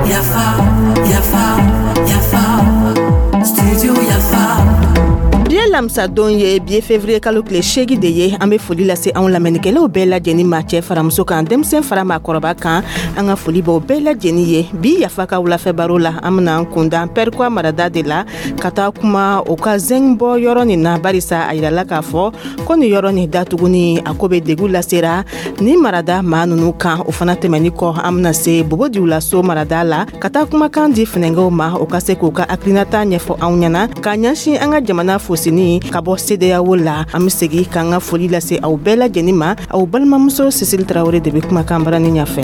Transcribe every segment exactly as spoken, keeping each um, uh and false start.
Yafa, yafa, yafa, studio Yafa. Bi ye lamisadon ye, bi ye fevrier kalo tile seegin de ye. An be foli lase anw lamɛnnikɛlaw bɛɛ lajɛnin ma, cɛɛ fara muso kan, denmisɛn fara maakɔrɔba kan. An ka foli b'aw bɛɛ lajɛnin ye. Bi Yafa ka wulafɛ baro la, an bena an kunda Pɛrikuwa marada de la ka taa kuma o ka zɛng bɔ yɔrɔ nin na, barisa a yirala k'a fɔ ko nin yɔrɔ nin datuguni, a ko be degu lasera ni marada maa nunu kan. O fana tɛmɛni kɔ, an bena se Bobo Dioulasso marada la ka taa kumakan di funɛngɛw ma, o ka se k'u ka hakilinata ɲɛfɔ anw ɲɛna k'a ɲɛsin an ka jamana fosini ka bɔ CEDEAO la. An be segi k'an ka foli lase aw bɛɛ lajɛnin ma. Aw balimamuso Sisili Tarawele de be kumakan barani ɲafɛ.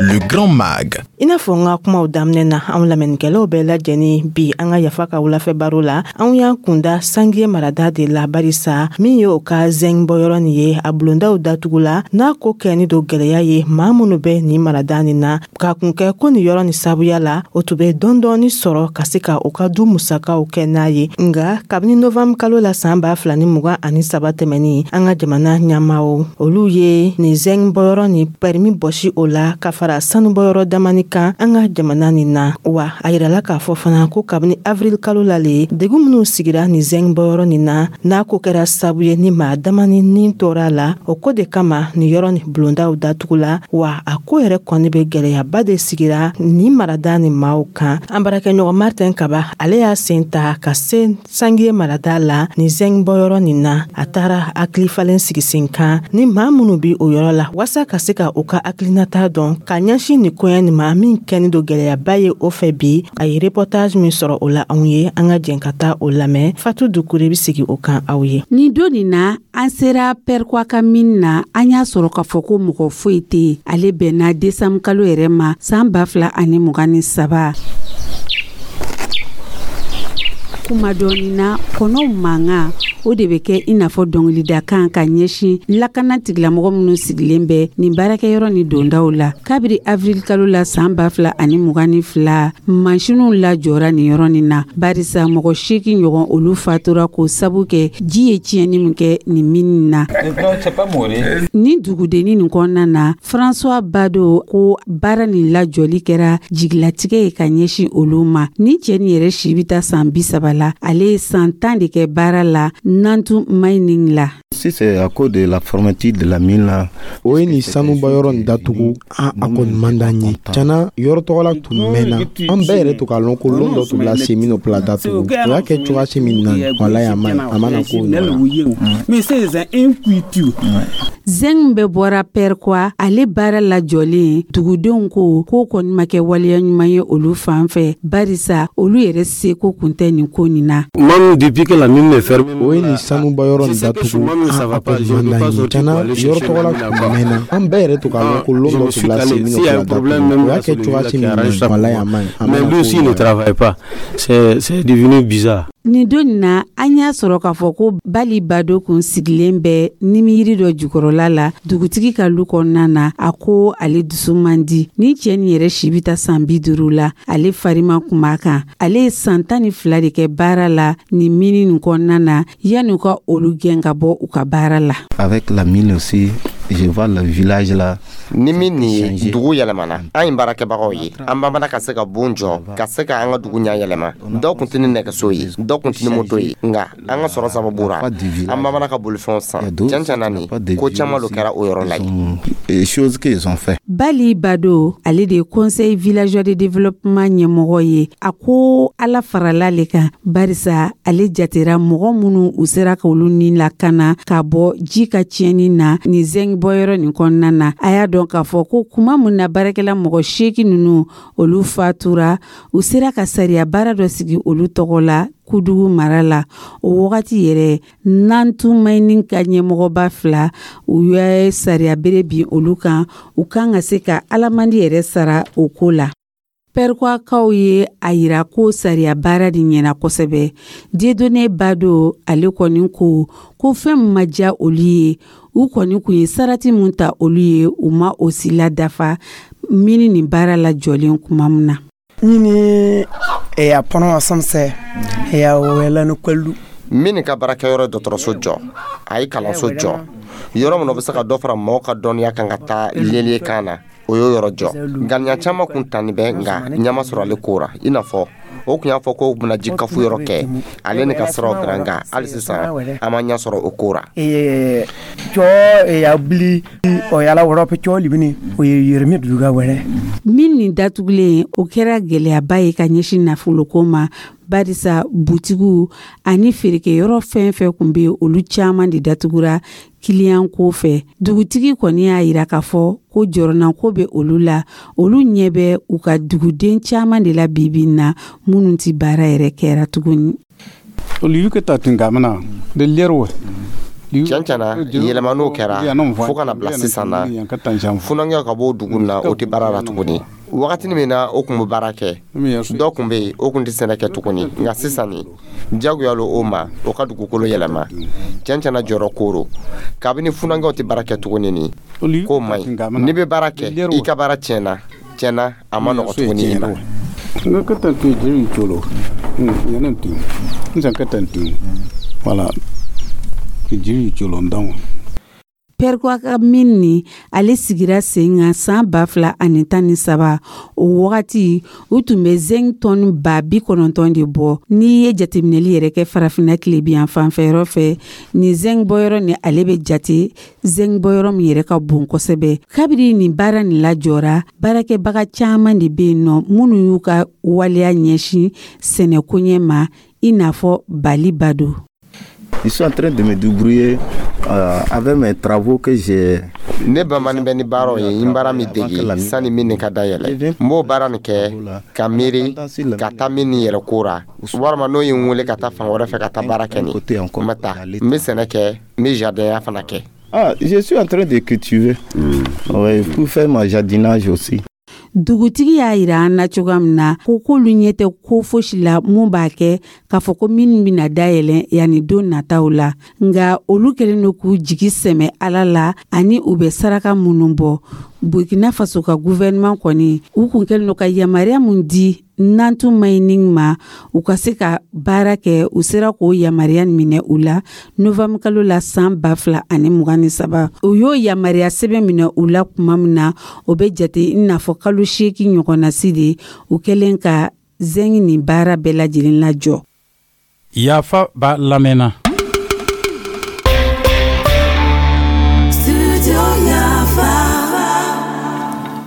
Le Grand Mag. I n'a fɔ n ka kumaw daminɛ na, anw lamɛnnikɛlaw bɛɛ lajɛnin, bi an ka Yafa ka wulafɛ baro la, anw y'an kunda Sangiye marada de la, barisa min ye o ka zɛng bɔyɔrɔ nin ye, a bulondaw datugula n'a ko kɛni do gwɛlɛya ye maa minnu bɛ nin marada nin na, k'a kun kɛ ko nin yɔrɔ nin sabuya la, o tun bɛ dɔɔni sɔrɔ ka se ka o ka du musakaw kɛ n'a ye. Nga kabini novanburu kalo la san ba fila ni mugan ani saba tɛmɛni, an ka jamana ɲɛmaaw, olu ye nin zɛng bɔyɔrɔ nin pɛrimi bɔsi o la ka fara sanubɔyɔrɔ damani kan an ka jamana nin na. Wa a yirala k'a fɔ fana ko kabini avril kalo la le, degun minw sigira nin zɛng bɔyɔrɔ nin na, n'a ko kɛra sabu ye ni maa damani nin tora la, o ko de kama nin yɔrɔ nin bulondaw datugula. Wa a ko yɛrɛ kɔni bɛ gwɛlɛyaba de sigira nin marada ni maaw kan. An baarakɛɲɔgɔn Martin Kaba, ale y'a sen ta ka se Sangiye marada la nin zɛng bɔyɔrɔ nin na. A taara hakili falen sigi sen kan ni maa minnu bi o yɔrɔ la, waasa ka se ka u ka hakilinata dɔn ka ɲɛsin nin koɲɛ nin ma min kɛni do gwɛlɛyaba ye o fɛ bi. A ye reportage min sɔrɔ o la anw ye, an ka jɛn ka taa o lamɛn. Fatu Dukure be sigi o kan aw ye. Nin don nin na, an sera Pɛrikuwa ka min na, an y'a sɔrɔ k'a fɔ ko mɔgɔ foyi tɛ yen. Ale bɛnna desanburu kalo yɛrɛ ma san ba fila ani mugan ni saba. Kuma dɔɔni na, kɔnɔw mankan o de bɛ kɛ i n'a fɔ dɔnkilidakan ka ɲɛsin lakana tigilamɔgɔ minnu sigilen bɛ nin baarakɛyɔrɔ ni dondaw la. Kabiri avril kalo la san ba fila ani mugan ni fila, mansinw lajɔra nin yɔrɔ nin na, barisa mɔgɔ seegin ɲɔgɔn, olu fatura k'o sabu kɛ ji ye tiɲɛni min kɛ nin mini na. Nin dugudenni nin kɔnɔna na, François Bado ko baara nin lajɔli kɛra jigilatigɛ ye ka ɲɛsin olu ma. Nin cɛ nin yɛrɛ si bɛ taa san bi saba la, ale ye san tan de kɛ baara la Nantu Mining la. Si c'est à cause de la fermeture de la mine là. O ye nin sanubɔyɔrɔ nin datugu, an a kɔni man d'an ye tiɲɛna. Yɔrɔ tɔgɔla tun mɛnna, an bɛɛ yɛrɛ to k'a lɔn ko lon dɔ tun bila se minnu bila datugu. O y'a kɛ cogoya si min na, walayi, a ma a mana ko nɔgɔya. Zɛng bɛɛ bɔra Pɛrikuwa, ale baara lajɔlen, dugudenw ko k'o kɔni ma kɛ waleya ɲuman ye olu fan fɛ, barisa olu yɛrɛ seko kun tɛ nin ko nin na. O ye nin sanubɔyɔrɔ nin datugu, an a kɔni man d'an ye tiɲɛna. Yɔrɔ tɔgɔla tun mɛnna, an bɛɛ yɛrɛ to k'a lɔn ko lon dɔ tun bila se minnu bila datugu. O y'a kɛ cogoya si min na, walayi, a ma a Mais lui aussi ne travaille pas. C'est c'est devenu bizarre. Nin don nin na, an y'a sɔrɔ k'a fɔ ko Bali Bado kun sigilen bɛ nimiyiri dɔ jukɔrɔla la dugutigi ka lu kɔnɔna na. A ko ale dusu man di. Ni cɛ nin yɛrɛ si bɛ taa san bi duuru la, ale farima kun b'a kan. Ale ye san tan ni fila de kɛ baara la nin mini nin kɔnɔna na yanni u ka olu gɛn ka bɔ u ka baara la. Avec la mine aussi, je vois le village là. Ni min nin ye, dugu yɛlɛmana. An ye baarakɛbagaw ye, an bamana ka se ka bon jɔ, ka se ka an ka dugu ɲɛ yɛlɛma. Dɔw kun tɛ ni nɛgɛso ye, dɔw kun tɛ ni moto ye, nka an ka sɔrɔ sababu ra, an bamana ka bolifɛnw san. Tiɲɛ tiɲɛ na, nin ko caman lo kɛra o yɔrɔ la yen. Choses qu'ils ont fait. Bali Bado, ale de ye conseil villageois de développement ɲɛmɔgɔ ye. A ko Ala farala le kan, barisa ale jatera mɔgɔ minnu u sera ka olu ni lakana ka bɔ ji ka tiɲɛni na nin zɛng bɔyɔrɔ nin kɔnɔna na. A y'a dɔn k'a fɔ ko kuma mun na baarakɛla mɔgɔ seegin ninnu, olu fatura, u sera ka sariya baara dɔ sigi olu tɔgɔ la Kudugu mara la. O wagati yɛrɛ, Nantu Mining ka ɲɛmɔgɔba fila, u ye sariya bere bin olu kan, u kan ka se ka alamandi yɛrɛ sara o ko la. Pɛrikuwakaw ye a yira ko sariya baara de ɲɛna kosɛbɛ. Dieudonné Bado, ale kɔni ko ko fɛn min ma diya olu ye, u kɔni kun ye sarati mun ta olu ye, u ma o si la dafa mini nin baara la jɔlen kuma min na. Nyini ɛyɛ apɔnɔ asɛm sɛ ɛyɛ awɛlɛ no kwalu. Min ka baarakɛyɔrɔ dɔgɔtɔrɔso jɔ, a ye kalanso jɔ, yɔrɔ min o bɛ se ka dɔ fara mɔgɔw ka dɔnniya kan ka taa lié kan na, o y'o yɔrɔ jɔ. Ŋaniya caman kun tanni bɛ, nka ɲɛ sɔrɔ ale ko ra. I n'a fɔ o tun y'a fɔ ko bɛna ji kafu yɔrɔ kɛ, ale ni ka siraw dilan, nka hali sisan an ma ɲɛ sɔrɔ o ko ra. Cɔ ya bili o yala wɔrɔ pe cɔ libini o ye yɛrɛmi duga wɛrɛ. Min nin datugulen, o kɛra gɛlɛyaba ye ka ɲɛsin nafoloko ma, barisa butigiw ani feerekɛyɔrɔ fɛn fɛn kun bɛ, olu caman de datugura kiliyan ko fɛ. Dugutigi kɔni y'a yira k'a fɔ ko jɔrɔnako bɛ olu la. Olu ɲɛ bɛ u ka duguden caman de la bibi in na minnu ti baara yɛrɛ kɛra tuguni. Tiɲɛ tiɲɛna, yɛlɛma n'o kɛra fo ka na bila sisan na, funankɛw ka bɔ dugu na, o tɛ baara la tuguni. Wagati min na o tun bɛ baara kɛ, dɔ tun bɛ yen, o tun tɛ sɛnɛ kɛ tuguni, nka sisan nin jagoya o ma o ka dugukolo yɛlɛma. Tiɲɛ tiɲɛna, jɔyɔrɔ koro kabini funankɛw tɛ baara kɛ tuguni, nin k'o man ɲi. N'i bɛ baara kɛ, i ka baara tiɲɛna, tiɲɛna, a ma nɔgɔ tuguni i ma. Voilà. Perkoa ka min ni ale sigira sen kan san ba fila ani tan ni saba, o wagati u tun bɛ zinc tɔni ba bi kɔnɔntɔn de bɔ. N'i ye jateminɛli yɛrɛ kɛ Farafinna tilebiyan fanfɛyɔrɔ fɛ, nin zinc bɔyɔrɔ ni ale bɛ jate zinc bɔyɔrɔ min yɛrɛ ka bon kosɛbɛ. Kabiri nin baara nin lajɔra, baarakɛbaga caman de bɛ yen nɔ minnu y'u ka waleya ɲɛsin sɛnɛkoɲɛ ma, i n'a fɔ Bali Bado. Je suis en train de me débrouiller euh, avec mes travaux que j'ai. Ne bamanin bɛ ni baaraw ye, n baara min dege sani min ka dayɛlɛ, n b'o baara nin kɛ ka miiri ka taa min ni yɛrɛ ko ra, walima n'o ye n wele ka taa fan wɛrɛ fɛ ka taa baara kɛ, nin n bɛ taa. N bɛ sɛnɛ kɛ, n bɛ jardin fana kɛ. Ah, je suis en train de cultiver. Mmh. Ouais, pour faire ma jardinage aussi. Dugutigi y'a yira an na cogoya min na ko k'olu ɲɛ tɛ ko fosi la mun b'a kɛ k'a fɔ ko minnu bɛna dayɛlɛ yanni don nataw la, nka olu kɛlen don k'u jigi sɛmɛ Ala la ani u bɛ saraka minnu bɔ. Burkina Faso ka gouvernement kɔni, u kun kɛlen don ka yamaruya mun di Nantu Mining ma u ka se ka baara kɛ, u sera k'o yamaruya minɛ u la novembre kalo la san ba fila ani mugan ni saba. U y'o yamaruya sɛbɛn minɛ u la tuma min na, o bɛ jate i n'a fɔ kalo seegin ɲɔgɔnna si de u kɛlen ka zinc nin baara bɛɛ lajɛlen lajɔ. Yafa b'a lamɛnna. Studio Yafa.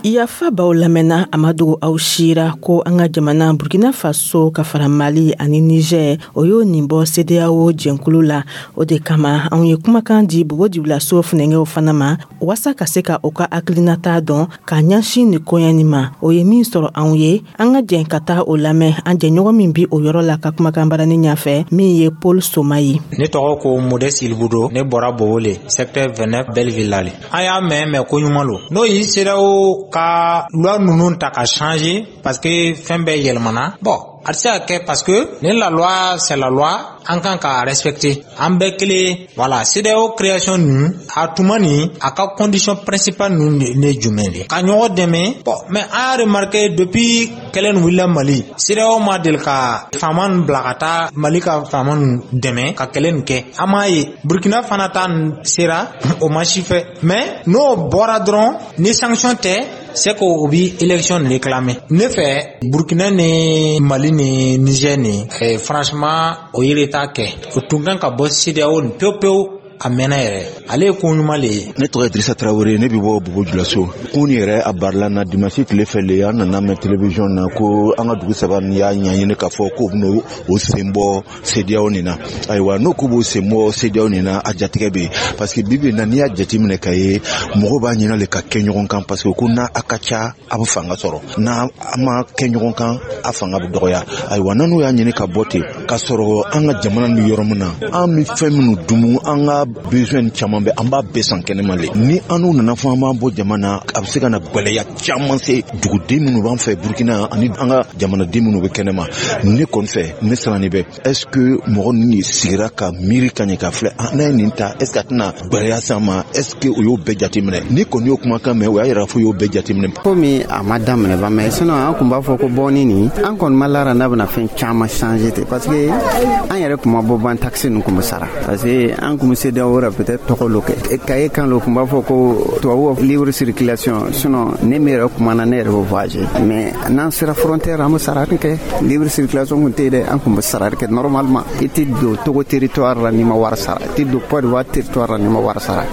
Yafa b'aw lamɛnna. A ma dogo aw sira ko an ka jamana Burkina Faso ka fara Mali ani Niger, o y'o nin bɔ CEDEAO jɛnkulu la. O de kama anw ye kumakan di Bobo Dioulasso funɛngɛw fana ma, waasa ka se ka o ka hakilinata dɔn ka ɲɛsin nin koɲɛ nin ma. O ye min sɔrɔ anw ye, an ka jɛn ka taa o lamɛn an jɛɲɔgɔn min bi o yɔrɔ la ka kumakan barani ɲafɛ, min ye Paul Soma ye. Ne tɔgɔ ko Modeste Ilbudo, ne bɔra Bobo le, secteur vingt-neuf, Belleville la le. An y'a mɛn mɛn ko ɲuman lo, n'o y'i CEDEAO ka loi ninnu ta ka changer, parce que fɛn bɛɛ yɛlɛmana. Bon, a tɛ se ka kɛ, parce que ni la loi, c'est la loi, an kan ka respecter, an bɛɛ kelen. Voilà, CEDEAO création ninnu a tuma nin, a ka condition principale ninnu ne jumɛn de ka ɲɔgɔn dɛmɛ. Bon, mais an y'a remarqué, depuis kɛlɛ nin wulila Mali, CEDEAO ma deli ka faama ninnu bila ka taa Mali ka faama ninnu dɛmɛ ka kɛlɛ nin kɛ. An m'a ye Burkina fana ta sera o ma si fɛ. Mais n'o bɔra dɔrɔn, ni sanction tɛ, c'est que o bi élection nin réclamer. Ne fɛ, Burkina ni Mali ni Niger ni eh, franchement, o ye retard kɛ, o tun kan ka bɔ CEDEAO nin pewu pewu, a mɛnna yɛrɛ. Ale ye ko ɲuman le ye. Ne tɔgɔ ye Dirisa Tarawele, ne bɛ bɔ Bobo Julaso. Kun yɛrɛ a barila na dimanche tile fɛ le, an nana mɛn télévision na ko an ka dugu saba nin y'a ɲɛɲini k'a fɔ k'o bɛna o sen bɔ CEDEAO nin na. Ayiwa, n'o k'u b'o sen bɔ CEDEAO nin na, a jatigɛ bɛ yen, parce que bi bi in na, n'i y'a jateminɛ ka ye, mɔgɔw b'a ɲini le ka kɛ ɲɔgɔn kan, parce que ko n'a a ka ca, a bɛ fanga sɔrɔ, n'a a ma kɛ ɲɔgɔn kan, a fanga bɛ dɔgɔya. Ayiwa, n'u y'a ɲini ka bɔ ten, k'a sɔrɔ an ka jamana bɛ yɔrɔ min na, an bɛ fɛn minnu dumu, an ka Besoin caman bɛ, an b'a bɛɛ san kɛnɛma le. Ni an n'u nana fɔ an b'an bɔ jama na, a bɛ se ka na gwɛlɛya caman se duguden minnu b'an fɛ Burukina ani an ka jamanaden minnu bɛ kɛnɛma. Ne kɔni fɛ, ne siranni bɛ, est ce que mɔgɔ ninnu sigira ka miiri ka ɲɛ ka filɛ, n'a ye nin ta, est ce que a tɛna gwɛlɛya s'an ma? Est ce que o y'o bɛɛ jateminɛ? Ni kɔni y'o kumakan mɛn, o y'a yira fo y'o bɛɛ jateminɛ. Komi a ma daminɛ ba mɛ, sinon an kun b'a fɔ ko bɔnni nin, an kɔni ma lara n'a bɛna fɛn caman changer ten, parce que an yɛrɛ kun ma bɔ ban, taxe ninnu kun bɛ sara, parce que an kun bɛ CEDEAO la, peut-être tɔgɔ lo kɛ kaye kan lo kun b'a fɔ ko tubabu libre circulation. Sinon ne min yɛrɛ kumana, ne yɛrɛ bɛ voyager, mais n'an sera frontière, an bɛ sara kɛ. Libre circulation kun tɛ yen dɛ, an kun bɛ sara kɛ normalement. I tɛ don Togo territoire la n'i ma wari sara, i tɛ don Côte d'Ivoire territoire la n'i ma wari sara.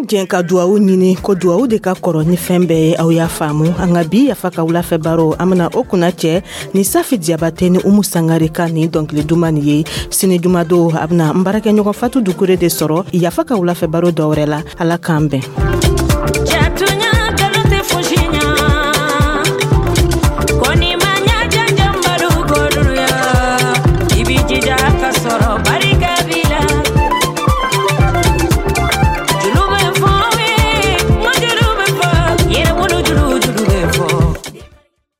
Jɛn ka duwawu ɲini ko duwawu de ka kɔrɔ ni fɛn bɛɛ ye. Aw y'a faamu, an ka bi Yafa ka wulafɛ baro, an bena o kunna cɛ ni Safi Diyabate ni Umu Sangare ka nin dɔnkili duman nin ye. Sini jumadon, a bena n baarakɛɲɔgɔn Fatu Dukure de sɔrɔ Yafa ka wulafɛ baro dɔwɛrɛ la. Ala k'an bɛn.